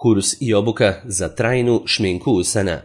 Kurs i obuka za trajnu šminku usana.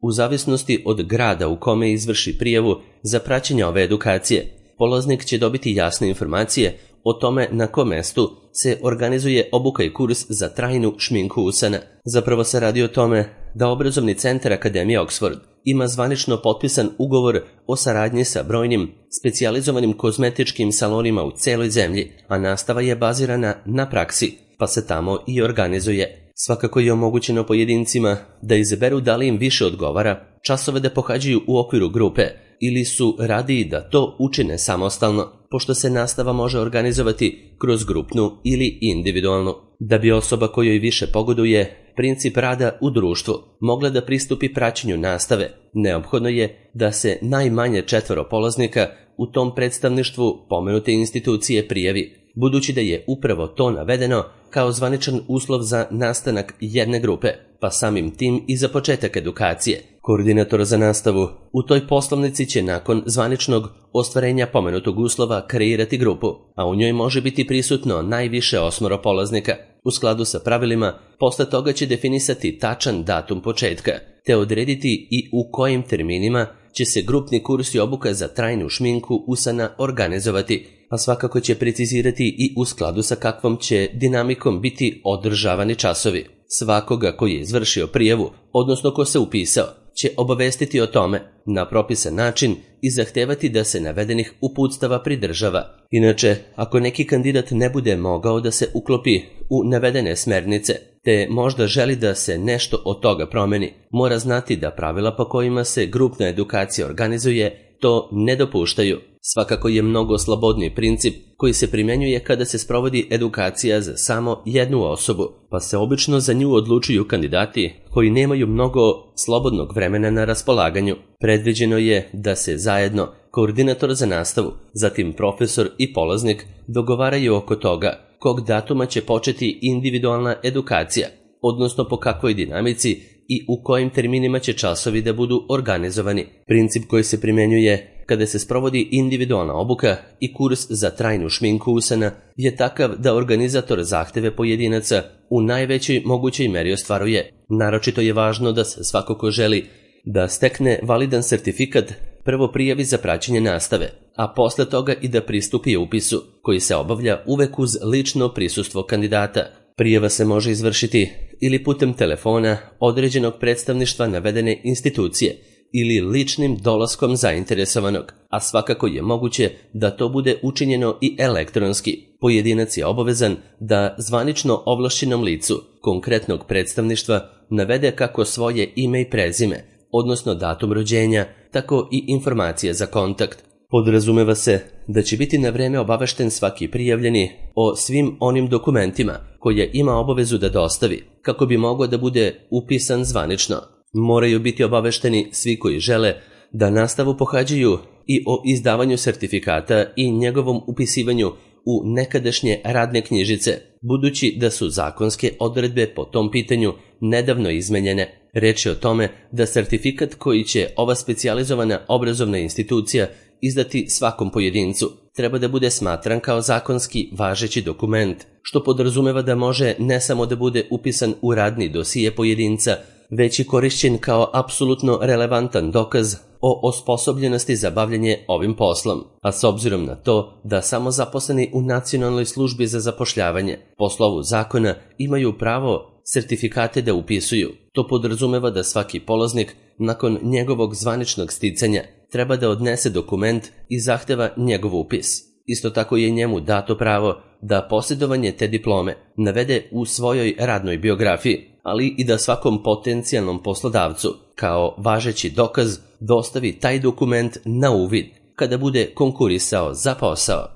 U zavisnosti od grada u kome izvrši prijavu za praćenje ove edukacije, polaznik će dobiti jasne informacije o tome na kom mestu se organizuje obuka i kurs za trajnu šminku usana. Zapravo se radi o tome da obrazovni centar Akademije Oxford ima zvanično potpisan ugovor o saradnji sa brojnim specijalizovanim kozmetičkim salonima u celoj zemlji, a nastava je bazirana na praksi, pa se tamo i organizuje. Svakako je omogućeno pojedincima da izaberu da li im više odgovara časove da pohađaju u okviru grupe ili su radiji da to učine samostalno, pošto se nastava može organizovati kroz grupnu ili individualnu. Da bi osoba kojoj više pogoduje princip rada u društvu mogla da pristupi praćenju nastave, neophodno je da se najmanje 4 polaznika u tom predstavništvu pomenute institucije prijavi, budući da je upravo to navedeno kao zvaničan uslov za nastanak jedne grupe, pa samim tim i za početak edukacije. Koordinator za nastavu u toj poslovnici će nakon zvaničnog ostvarenja pomenutog uslova kreirati grupu, a u njoj može biti prisutno najviše 8 polaznika. U skladu sa pravilima, posle toga će definisati tačan datum početka, te odrediti i u kojim terminima će se grupni kurs i obuka za trajnu šminku usana organizovati, a svakako će precizirati i u skladu sa kakvom će dinamikom biti održavani časovi. Svakoga koji je izvršio prijavu, odnosno ko se upisao, će obavestiti o tome na propisan način i zahtevati da se navedenih uputstava pridržava. Inače, ako neki kandidat ne bude mogao da se uklopi u navedene smernice, te možda želi da se nešto od toga promeni, mora znati da pravila po kojima se grupna edukacija organizuje to ne dopuštaju. Svakako je mnogo slobodniji princip koji se primjenjuje kada se sprovodi edukacija za samo jednu osobu, pa se obično za nju odlučuju kandidati koji nemaju mnogo slobodnog vremena na raspolaganju. Predviđeno je da se zajedno koordinator za nastavu, zatim profesor i polaznik dogovaraju oko toga kog datuma će početi individualna edukacija, odnosno po kakvoj dinamici i u kojim terminima će časovi da budu organizovani. Princip koji se primjenjuje kada se sprovodi individualna obuka i kurs za trajnu šminku usana je takav da organizator zahteve pojedinaca u najvećoj mogućoj meri ostvaruje. Naročito je važno da se svako ko želi da stekne validan sertifikat prvo prijavi za praćenje nastave, a posle toga i da pristupi upisu, koji se obavlja uvek uz lično prisustvo kandidata. Prijava se može izvršiti ili putem telefona određenog predstavništva navedene institucije ili ličnim dolaskom zainteresovanog, a svakako je moguće da to bude učinjeno i elektronski. Pojedinac je obavezan da zvanično ovlašćenom licu konkretnog predstavništva navede kako svoje ime i prezime, odnosno datum rođenja, tako i informacije za kontakt. Podrazumeva se da će biti na vreme obavešten svaki prijavljeni o svim onim dokumentima koje ima obavezu da dostavi, kako bi mogao da bude upisan zvanično. Moraju biti obavešteni svi koji žele da nastavu pohađaju i o izdavanju sertifikata i njegovom upisivanju u nekadašnje radne knjižice, budući da su zakonske odredbe po tom pitanju nedavno izmenjene. Reč je o tome da sertifikat koji će ova specijalizovana obrazovna institucija izdati svakom pojedincu treba da bude smatran kao zakonski važeći dokument, što podrazumeva da može ne samo da bude upisan u radni dosije pojedinca, već i korišćen kao apsolutno relevantan dokaz o osposobljenosti za bavljanje ovim poslom, a s obzirom na to da samo zaposleni u Nacionalnoj službi za zapošljavanje po slovu zakona imaju pravo sertifikate da upisuju, to podrazumeva da svaki polaznik nakon njegovog zvaničnog sticanja treba da odnese dokument i zahteva njegov upis. Isto tako je njemu dato pravo da posjedovanje te diplome navede u svojoj radnoj biografiji, ali i da svakom potencijalnom poslodavcu kao važeći dokaz dostavi taj dokument na uvid kada bude konkurisao za posao.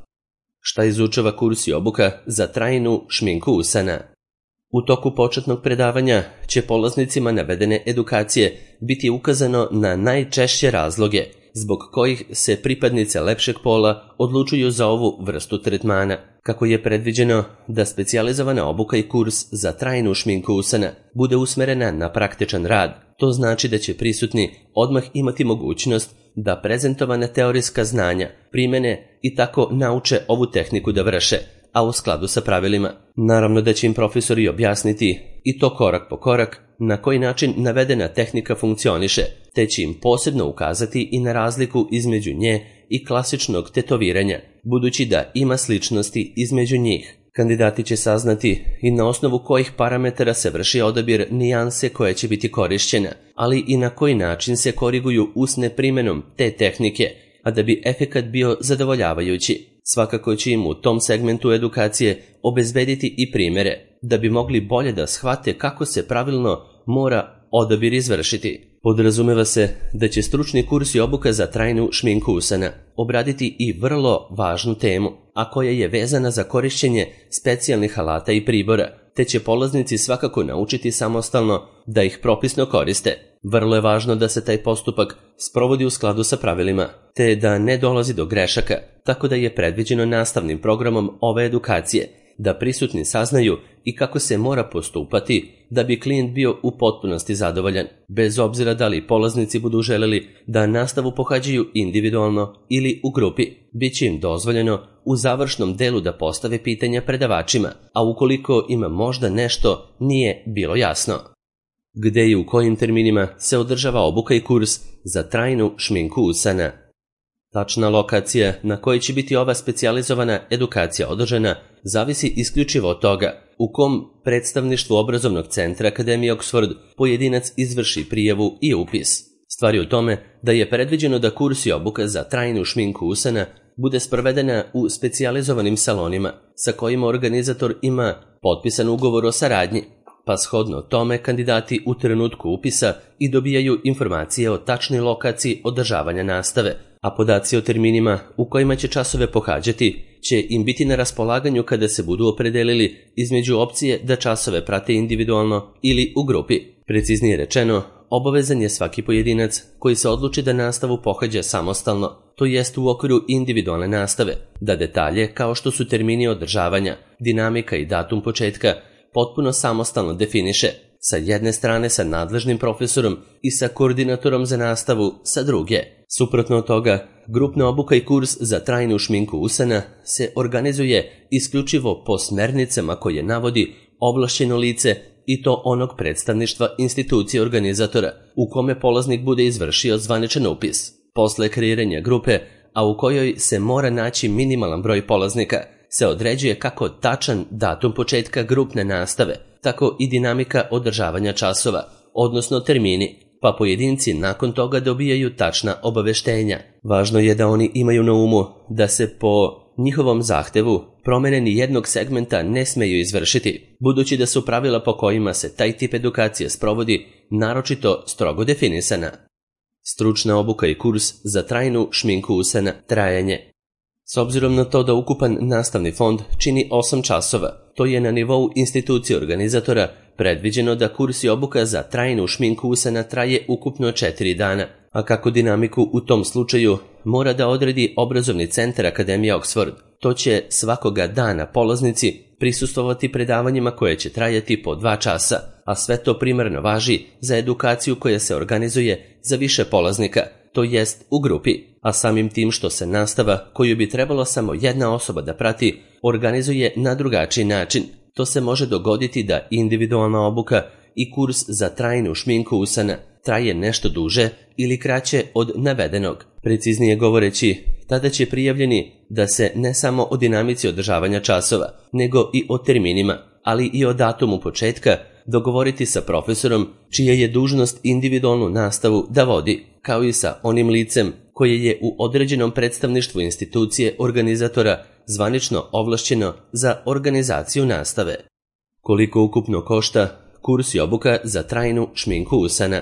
Šta izučava kurs i obuka za trajnu šminku usana? U toku početnog predavanja će polaznicima navedene edukacije biti ukazano na najčešće razloge zbog kojih se pripadnice lepšeg pola odlučuju za ovu vrstu tretmana. Kako je predviđeno da specijalizovana obuka i kurs za trajnu šminku usana bude usmerena na praktičan rad, to znači da će prisutni odmah imati mogućnost da prezentovane teorijska znanja primene i tako nauče ovu tehniku da vrše, a u skladu sa pravilima. Naravno da će im profesori objasniti, i to korak po korak, na koji način navedena tehnika funkcioniše, te će im posebno ukazati i na razliku između nje i klasičnog tetoviranja, budući da ima sličnosti između njih. Kandidati će saznati i na osnovu kojih parametara se vrši odabir nijanse koja će biti korišćena, ali i na koji način se koriguju usne primenom te tehnike, a da bi efekat bio zadovoljavajući. Svakako će im u tom segmentu edukacije obezbediti i primere, da bi mogli bolje da shvate kako se pravilno mora odabir izvršiti. Podrazumeva se da će stručni kurs i obuka za trajnu šminku usana obraditi i vrlo važnu temu, a koja je vezana za korišćenje specijalnih alata i pribora, te će polaznici svakako naučiti samostalno da ih propisno koriste. Vrlo je važno da se taj postupak sprovodi u skladu sa pravilima, te da ne dolazi do grešaka, tako da je predviđeno nastavnim programom ove edukacije da prisutni saznaju i kako se mora postupati da bi klijent bio u potpunosti zadovoljan, bez obzira da li polaznici budu želeli da nastavu pohađaju individualno ili u grupi. Biće im dozvoljeno u završnom delu da postave pitanja predavačima, a ukoliko ima možda nešto nije bilo jasno. Gde i u kojim terminima se održava obuka i kurs za trajnu šminku usana? Tačna lokacija na kojoj će biti ova specijalizovana edukacija održana zavisi isključivo od toga u kom predstavništvu obrazovnog centra Akademije Oxford pojedinac izvrši prijavu i upis. Stvar je u tome da je predviđeno da kurs i obuka za trajnu šminku usana bude sprovedena u specijalizovanim salonima sa kojima organizator ima potpisan ugovor o saradnji, pa shodno tome kandidati u trenutku upisa i dobijaju informacije o tačnoj lokaciji održavanja nastave, a podaci o terminima u kojima će časove pohađati će im biti na raspolaganju kada se budu opredelili između opcije da časove prate individualno ili u grupi. Preciznije rečeno, obavezan je svaki pojedinac koji se odluči da nastavu pohađa samostalno, to jest u okviru individualne nastave, da detalje kao što su termini održavanja, dinamika i datum početka potpuno samostalno definiše, sa jedne strane sa nadležnim profesorom i sa koordinatorom za nastavu sa druge. Suprotno od toga, grupna obuka i kurs za trajnu šminku usana se organizuje isključivo po smernicama koje navodi ovlašćeno lice i to onog predstavništva institucije organizatora u kome polaznik bude izvršio zvaničan upis. Posle kreiranja grupe, a u kojoj se mora naći minimalan broj polaznika, se određuje kako tačan datum početka grupne nastave, tako i dinamika održavanja časova, odnosno termini, pa pojedinci nakon toga dobijaju tačna obaveštenja. Važno je da oni imaju na umu da se po njihovom zahtevu promene ni jednog segmenta ne smeju izvršiti, budući da su pravila po kojima se taj tip edukacije sprovodi naročito strogo definisana. Stručna obuka i kurs za trajnu šminku usana, trajanje. S obzirom na to da ukupan nastavni fond čini 8 časova, to je na nivou institucije organizatora predviđeno da kurs i obuka za trajnu šminku usana traje ukupno 4 dana, a kako dinamiku u tom slučaju mora da odredi obrazovni centar Akademije Oxford, to će svakoga dana polaznici prisustvovati predavanjima koje će trajati po 2 časa, a sve to primarno važi za edukaciju koja se organizuje za više polaznika, to jest u grupi, a samim tim što se nastava, koju bi trebalo samo jedna osoba da prati, organizuje na drugačiji način. To se može dogoditi da individualna obuka i kurs za trajnu šminku usana traje nešto duže ili kraće od navedenog. Preciznije govoreći, tada će prijavljeni da se ne samo o dinamici održavanja časova, nego i o terminima, ali i o datumu početka dogovoriti sa profesorom čija je dužnost individualnu nastavu da vodi, kao i sa onim licem koje je u određenom predstavništvu institucije organizatora zvanično ovlašćeno za organizaciju nastave. Koliko ukupno košta kurs i obuka za trajnu šminku usana?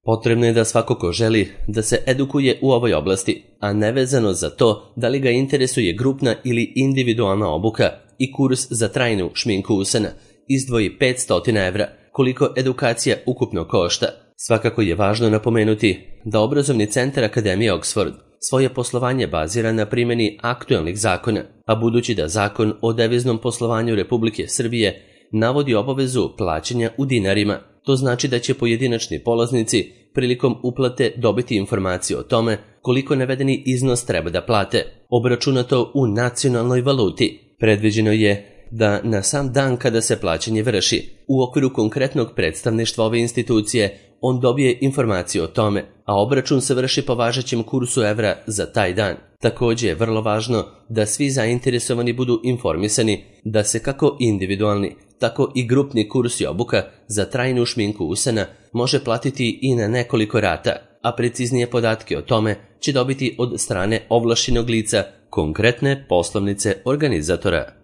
Potrebno je da svako ko želi da se edukuje u ovoj oblasti, a nevezano za to da li ga interesuje grupna ili individualna obuka i kurs za trajnu šminku usana, izdvoji 500 evra, koliko edukacija ukupno košta. Svakako je važno napomenuti da obrazovni centar Akademije Oxford svoje poslovanje bazira na primjeni aktuelnih zakona, a budući da Zakon o deviznom poslovanju Republike Srbije navodi obavezu plaćanja u dinarima, to znači da će pojedinačni polaznici prilikom uplate dobiti informaciju o tome koliko navedeni iznos treba da plate, obračunato u nacionalnoj valuti. Predviđeno je da na sam dan kada se plaćanje vrši, u okviru konkretnog predstavništva ove institucije, on dobije informaciju o tome, a obračun se vrši po važećem kursu evra za taj dan. Također je vrlo važno da svi zainteresovani budu informisani da se kako individualni, tako i grupni kurs i obuka za trajnu šminku usana može platiti i na nekoliko rata, a preciznije podatke o tome će dobiti od strane ovlaštenog lica konkretne poslovnice organizatora.